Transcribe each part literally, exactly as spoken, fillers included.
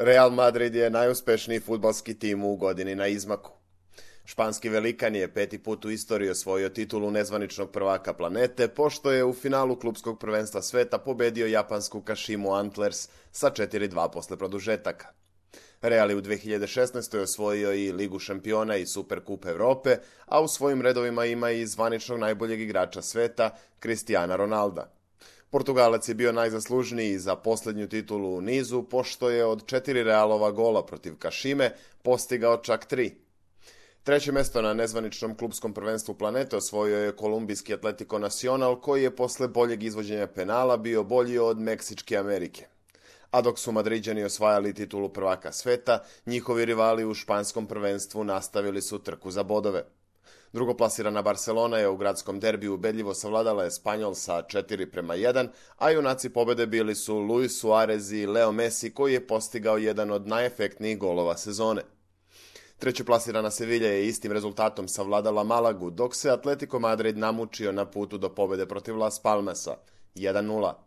Real Madrid je najuspešniji fudbalski tim u godini na izmaku. Španski velikan je peti put u istoriji osvojio titulu nezvaničnog prvaka planete, pošto je u finalu klupskog prvenstva sveta pobedio japansku Kashimu Antlers sa četiri dva posle produžetaka. Real je u dve hiljade šesnaestoj. osvojio i Ligu šampiona i Superkup Evrope, a u svojim redovima ima i zvaničnog najboljeg igrača sveta, Cristiana Ronalda. Portugalac je bio najzaslužniji za posljednju titulu u nizu, pošto je od četiri Realova gola protiv Kashime postigao čak tri. Treće mesto na nezvaničnom klupskom prvenstvu planete osvojio je kolumbijski Atletico Nacional, koji je posle boljeg izvođenja penala bio bolji od Meksičke Amerike. A dok su Madriđani osvajali titulu prvaka sveta, njihovi rivali u španskom prvenstvu nastavili su trku za bodove. Drugoplasirana Barcelona je u gradskom derbiju ubedljivo savladala Espanjol sa četiri prema jedan, a junaci pobede bili su Luis Suarez i Leo Messi, koji je postigao jedan od najefektnijih golova sezone. Trećeplasirana Sevilla je istim rezultatom savladala Malagu, dok se Atletico Madrid namučio na putu do pobede protiv Las Palmasa jedan nula.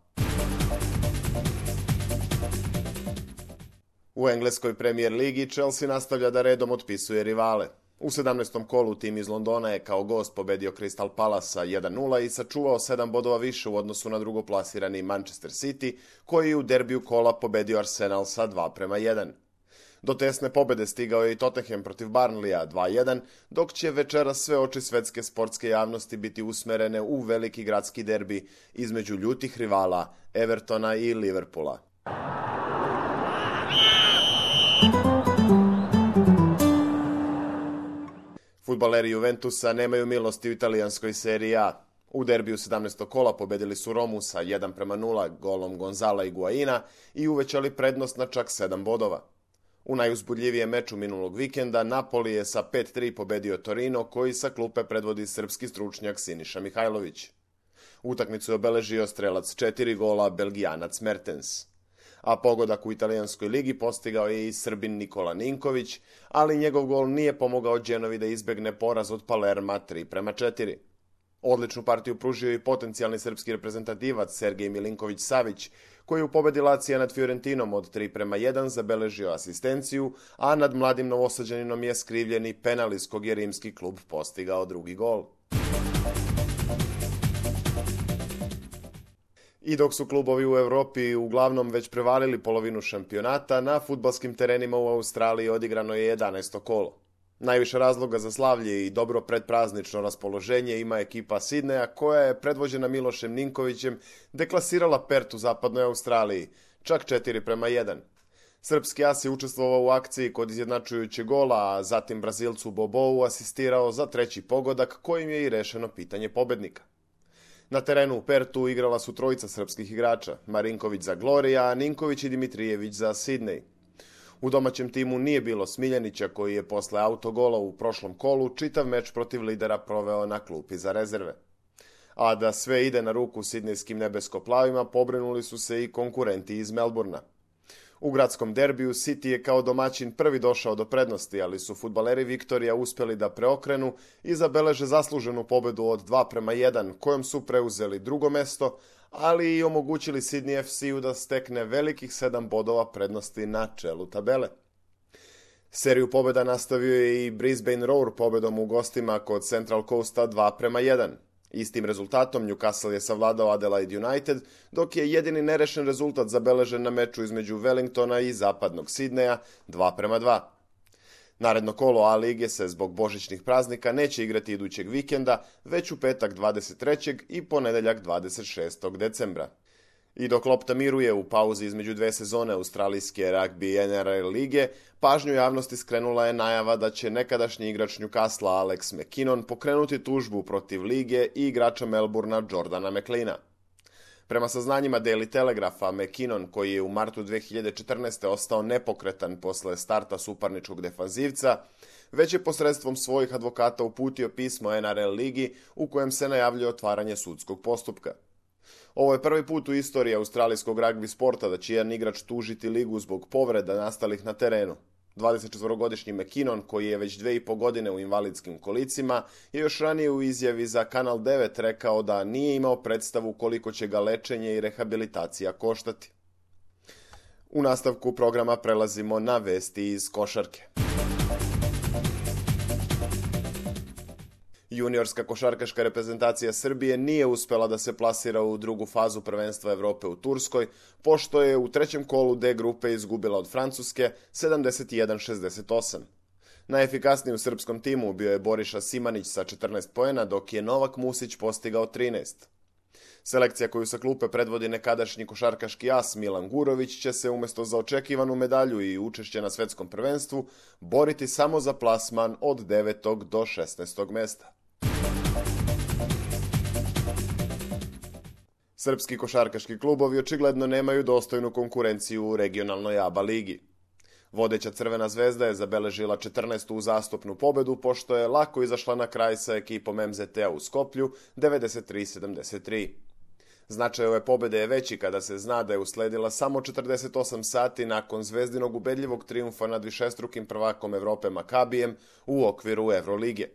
U engleskoj Premier ligi Chelsea nastavlja da redom otpisuje rivale. U sedamnaestom kolu tim iz Londona je kao gost pobedio Crystal Palasa jedan nula i sačuvao sedam bodova više u odnosu na drugoplasirani Manchester City, koji je u derbiju kola pobedio Arsenal sa dva prema jedan. Do tesne pobede stigao je i Tottenham protiv Burnleya dva jedan, dok će večeras sve oči svetske sportske javnosti biti usmerene u veliki gradski derbi između ljutih rivala Evertona i Liverpoola. Fudbaleri Juventusa nemaju milosti u italijanskoj seriji A. U derbiju sedamnaestog kola pobedili su Romu sa jedan prema nula golom Gonzala Higuaina i uvećali prednost na čak sedam bodova. U najuzbudljivijem meču minulog vikenda Napoli je sa pet tri pobedio Torino, koji sa klupe predvodi srpski stručnjak Siniša Mihajlović. Utakmicu je obeležio strelac četiri gola Belgijanac Mertens. A pogodak u italijanskoj ligi postigao je i Srbin Nikola Ninković, ali njegov gol nije pomogao Genovi da izbegne poraz od Palerma tri prema četiri. Odličnu partiju pružio i potencijalni srpski reprezentativac Sergej Milinković Savić, koji u pobedi Lacija nad Fiorentinom od tri prema jedan zabeležio asistenciju, a nad mladim Novosađaninom je skrivljeni penal iz kog je rimski klub postigao drugi gol. I dok su klubovi u Evropi uglavnom već prevalili polovinu šampionata, na fudbalskim terenima u Australiji odigrano je jedanaesto kolo. Najviše razloga za slavlje i dobro predpraznično raspoloženje ima ekipa Sidneja, koja je predvođena Milošem Ninkovićem deklasirala Perth u zapadnoj Australiji, čak četiri prema jedan. Srpski as je učestvovao u akciji kod izjednačujućeg gola, a zatim Brazilcu Bobou asistirao za treći pogodak, kojim je i rešeno pitanje pobednika. Na terenu u Pertu igrala su trojica srpskih igrača, Marinković za Gloria, a Ninković i Dimitrijević za Sidnej. U domaćem timu nije bilo Smiljanića, koji je posle autogola u prošlom kolu čitav meč protiv lidera proveo na klupi za rezerve. A da sve ide na ruku sidnejskim nebesko-plavima, pobrinuli su se i konkurenti iz Melburna. U gradskom derbiju City je kao domaćin prvi došao do prednosti, ali su fudbaleri Viktorija uspeli da preokrenu i zabeleže zasluženu pobedu od dva prema jedan, kojom su preuzeli drugo mesto, ali i omogućili Sydney F C-u da stekne velikih sedam bodova prednosti na čelu tabele. Seriju pobeda nastavio je i Brisbane Roar pobedom u gostima kod Central Coasta dva prema jedan. Istim rezultatom Newcastle je savladao Adelaide United, dok je jedini nerešen rezultat zabeležen na meču između Wellingtona i zapadnog Sidneja dva prema dva. Naredno kolo A lige se zbog božićnih praznika neće igrati idućeg vikenda, već u petak dvadeset trećeg i ponedeljak dvadeset šestog decembra. I dok lopta miruje u pauzi između dve sezone australijske rugby N R L lige, pažnju javnosti skrenula je najava da će nekadašnji igrač Newcastle Alex McKinnon pokrenuti tužbu protiv lige i igrača Melburna Jordana McLeana. Prema saznanjima Daily Telegrapha, McKinnon, koji je u martu dve hiljade četrnaeste. ostao nepokretan posle starta suparničkog defanzivca, već je posredstvom svojih advokata uputio pismo N R L ligi u kojem se najavljuje otvaranje sudskog postupka. Ovo je prvi put u istoriji australijskog ragbi sporta da će jedan igrač tužiti ligu zbog povreda nastalih na terenu. dvadesetčetvorogodišnji McKinnon, koji je već dve i po godine u invalidskim kolicima, je još ranije u izjavi za Kanal devet rekao da nije imao predstavu koliko će ga lečenje i rehabilitacija koštati. U nastavku programa prelazimo na vesti iz košarke. Juniorska košarkaška reprezentacija Srbije nije uspela da se plasira u drugu fazu prvenstva Evrope u Turskoj, pošto je u trećem kolu D grupe izgubila od Francuske sedamdeset jedan šezdeset osam. Najefikasniji u srpskom timu bio je Boriša Simanić sa četrnaest poena, dok je Novak Musić postigao trinaest. Selekcija koju sa klupe predvodi nekadašnji košarkaški as Milan Gurović će se umjesto za očekivanu medalju i učešće na svetskom prvenstvu boriti samo za plasman od devetog do šesnaestog mesta. Srpski košarkaški klubovi očigledno nemaju dostojnu konkurenciju u regionalnoj A B A ligi. Vodeća Crvena zvezda je zabeležila četrnaestu uzastopnu pobedu, pošto je lako izašla na kraj sa ekipom M Z T-a u Skoplju devedeset tri sedamdeset tri. Značaj ove pobede je veći kada se zna da je usledila samo četrdeset osam sati nakon zvezdinog ubedljivog trijumfa nad višestrukim prvakom Evrope Makabijem u okviru Evrolige.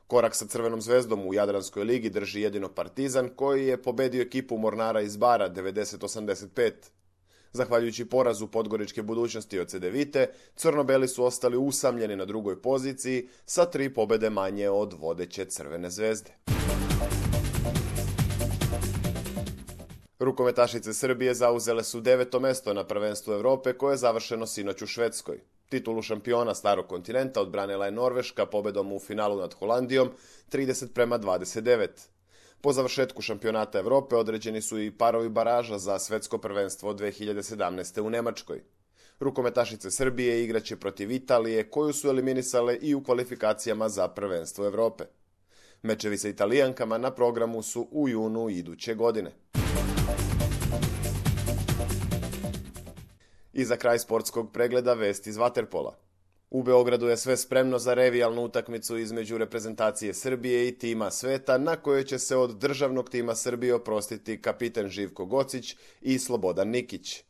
Korak sa Crvenom zvezdom u Jadranskoj ligi drži jedino Partizan, koji je pobedio ekipu Mornara iz Bara devedeset osamdeset pet. Zahvaljujući porazu Podgoričke budućnosti od Cedevite, crno-beli su ostali usamljeni na drugoj poziciji sa tri pobede manje od vodeće Crvene zvezde. Rukometašice Srbije zauzele su deveto mesto na prvenstvu Evrope koje je završeno sinoć u Švedskoj. Titulu šampiona starog kontinenta odbranila je Norveška pobedom u finalu nad Holandijom trideset prema dvadeset devet. Po završetku šampionata Evrope određeni su i parovi baraža za svetsko prvenstvo dve hiljade sedamnaeste. u Nemačkoj. Rukometašice Srbije igraće protiv Italije, koju su eliminisale i u kvalifikacijama za prvenstvo Evrope. Mečevi sa Italijankama na programu su u junu iduće godine. I za kraj sportskog pregleda vesti iz vaterpola. U Beogradu je sve spremno za revijalnu utakmicu između reprezentacije Srbije i tima sveta, na kojoj će se od državnog tima Srbije oprostiti kapiten Živko Gocić i Slobodan Nikić.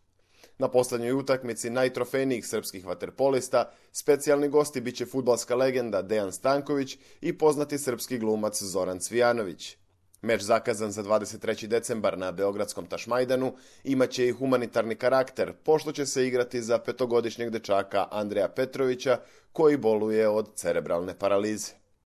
Na poslednjoj utakmici najtrofejnijih srpskih vaterpolista specijalni gosti biće fudbalska legenda Dejan Stanković i poznati srpski glumac Zoran Cvijanović. Meč zakazan za dvadeset treći decembar na beogradskom Tašmajdanu imaće i humanitarni karakter, pošto će se igrati za petogodišnjeg dečaka Andreja Petrovića, koji boluje od cerebralne paralize.